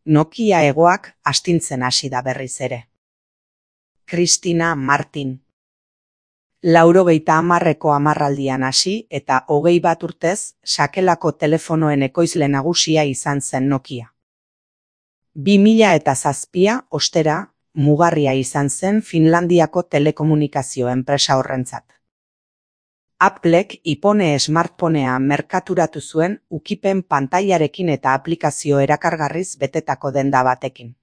Nokia egoak astintzen hasi da berriz ere. Kristina Martin. 90ko hamarraldian hasi eta 21 urtez sakelako telefonoen ekoizle nagusia izan zen Nokia. 2007 ostera mugarria izan zen Finlandiako telekomunikazio enpresa horrentzat. Applek iPhone smartphonea merkaturatu zuen ukipen pantailarekin eta aplikazio erakargarriz betetako denda batekin.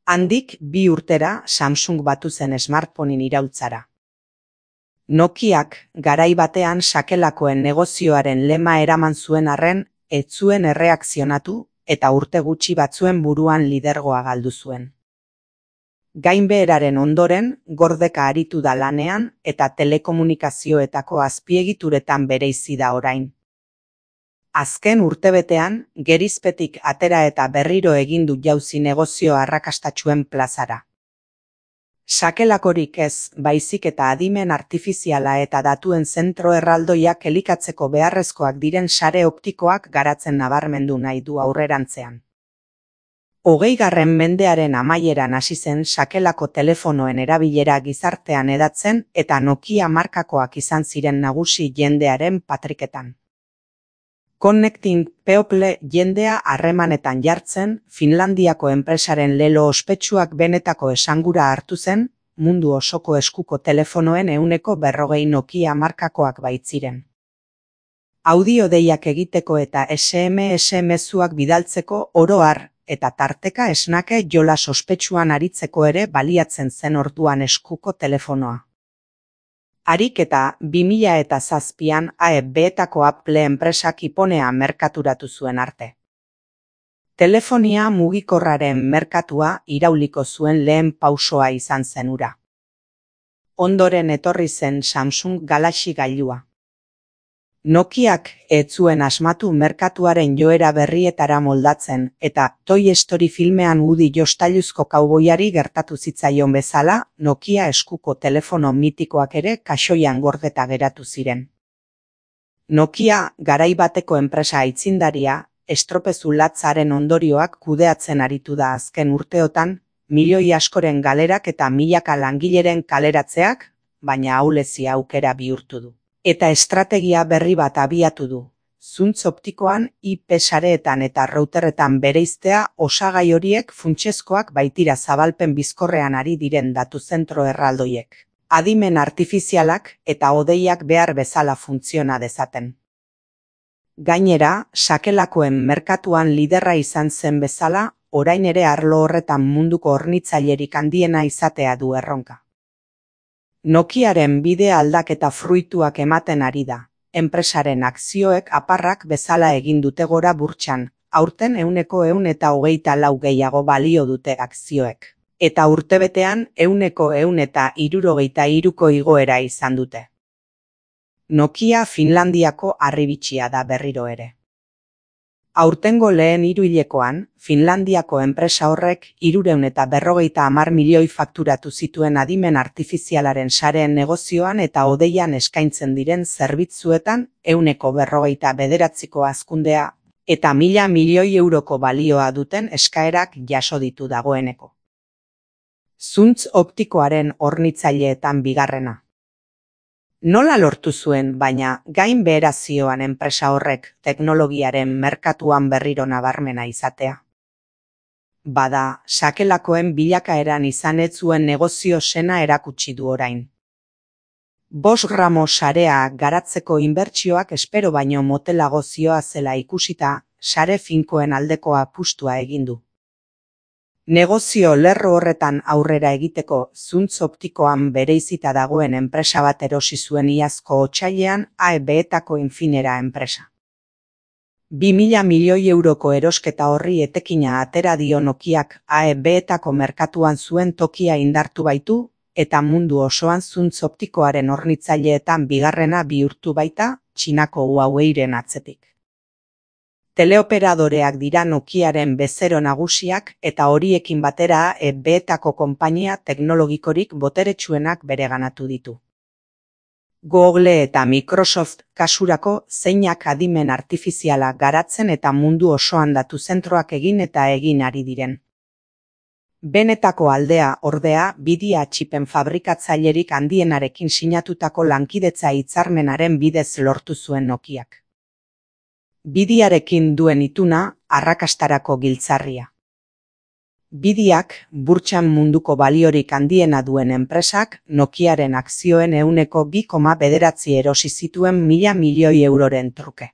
Handik 2 urtera Samsung batu zen smartphoneen iraultzara. Nokiak garai batean sakelakoen negozioaren lema eraman zuen arren, ez zuen erreakzionatu eta urte gutxi batzuen buruan lidergoa galdu zuen. Gainbeheraren ondoren, gordeka aritu da lanean eta telekomunikazioetako azpiegituretan bereizi da orain. Azken urtebetean, gerizpetik atera eta berriro egin du jauzi negozio arrakastatsuen plazara. Sakelakorik ez, baizik eta adimen artifiziala eta datuen zentro erraldoiak elikatzeko beharrezkoak diren sare optikoak garatzen nabarmendu nahi du aurrerantzean. 20. mendearen amaieran hasi zen sakelako telefonoen erabilera gizartean hedatzen eta Nokia markakoak izan ziren nagusi jendearen patriketan. Connecting People jendea harremanetan jartzen, Finlandiako enpresaren lelo ospetsuak benetako esangura hartu zen, mundu osoko eskuko telefonoen 140 Nokia markakoak baitziren. Audio deiak egiteko eta SMS mezuak bidaltzeko oro har, eta tarteka esnake jolas ospetsuan aritzeko ere baliatzen zen orduan eskuko telefonoa. Harik eta 2007an AEB-etako Apple enpresak iPhonea merkaturatu zuen arte. Telefonia mugikorraren merkatua irauliko zuen lehen pausoa izan zen hura. Ondoren etorri zen Samsung Galaxy gailua. Nokiak ez zuen asmatu merkatuaren joera berrietara moldatzen eta Toy Story filmean Woody jostailuzko kauboiari gertatu zitzaion bezala, Nokia eskuko telefono mitikoak ere kaxoian gordeta geratu ziren. Nokia garai bateko enpresa aitzindaria, estropezu latzaren ondorioak kudeatzen aritu da azken urteotan, milioi askoren galerak eta milaka langileren kaleratzeak, baina ahulezia aukera bihurtu du. Eta estrategia berri bat abiatu du. Zuntz optikoan, IP sareetan eta routerretan bereiztea osagai horiek funtsezkoak baitira zabalpen bizkorrean ari diren datu zentro erraldoiek. Adimen artifizialak eta hodeiak behar bezala funtziona dezaten. Gainera, sakelakoen merkatuan liderra izan zen bezala, orain ere arlo horretan munduko hornitzailerik handiena izatea du erronka. Nokiaren bide aldaketa fruituak ematen ari da. Enpresaren akzioek aparrak bezala egin dute gora burtsan, aurten 124 gehiago balio dute akzioek. Eta urtebetean 163ko igoera izan dute. Nokia Finlandiako harribitxia da berriro ere. Aurtengo lehen hiruhilekoan, Finlandiako enpresa horrek 350 milioi fakturatu zituen adimen artifizialaren sareen negozioan eta hodeian eskaintzen diren zerbitzuetan 149ko hazkundea eta 1000 milioi euroko balioa duten eskaerak jaso ditu dagoeneko. Zuntz optikoaren hornitzaileetan bigarrena. Nola lortu zuen, baina gainbehera zioan enpresa horrek teknologiaren merkatuan berriro nabarmena izatea? Bada, sakelakoen bilakaeran izan ez zuen negozio sena erakutsi du orain. 5 gramo sarea garatzeko inbertsioak espero baino motelago zioazela ikusita, sare finkoen aldeko apustua egin du. Negozio lerro horretan aurrera egiteko zuntz optikoan bereizita dagoen enpresa bat erosi zuen iazko otsailean AEB-etako Infinera enpresa. 2000 milioi euroko erosketa horri etekina atera dio Nokiak AEB-etako merkatuan zuen tokia indartu baitu eta mundu osoan zuntz optikoaren hornitzaileetan bigarrena bihurtu baita Txinako Huaweiren atzetik. Teleoperadoreak dira Nokiaren bezero nagusiak eta horiekin batera AEB-etako konpainia teknologikorik boteretsuenak bereganatu ditu. Google eta Microsoft kasurako zeinak adimen artifiziala garatzen eta mundu osoan datu zentroak egin eta egin ari diren. Benetako aldea, ordea, bidia txipen fabrikatzailerik handienarekin sinatutako lankidetza hitzarmenaren bidez lortu zuen Nokiak. Bidiarekin duen ituna, arrakastarako giltzarria. Bidiak, burtsan munduko baliorik handiena duen enpresak, Nokiaren akzioen 2,9 erosi zituen 1.000 milioi euroren truke.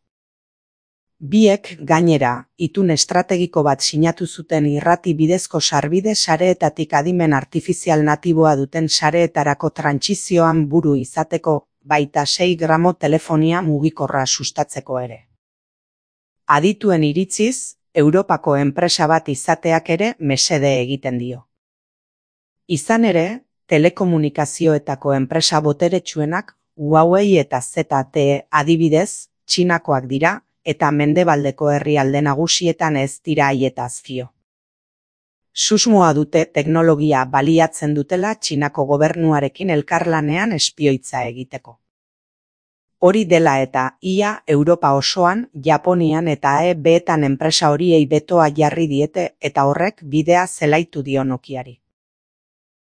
Biek, gainera, itun estrategiko bat sinatu zuten irrati bidezko sarbide sareetatik adimen artifizial natiboa duten sareetarako trantsizioan buru izateko, baita 6 gramo telefonia mugikorra sustatzeko ere. Adituen iritziz, Europako enpresa bat izateak ere mesede egiten dio. Izan ere, telekomunikazioetako enpresa boteretsuenak Huawei eta ZTE adibidez, Txinakoak dira, eta mendebaldeko herrialde nagusietan ez dira haietaz fio. Susmoa dute teknologia baliatzen dutela Txinako gobernuarekin elkarlanean espioitza egiteko. Hori dela eta ia Europa osoan, Japonian eta EB-etan enpresa horiei betoa jarri diete eta horrek bidea zelaitu dio Nokiari.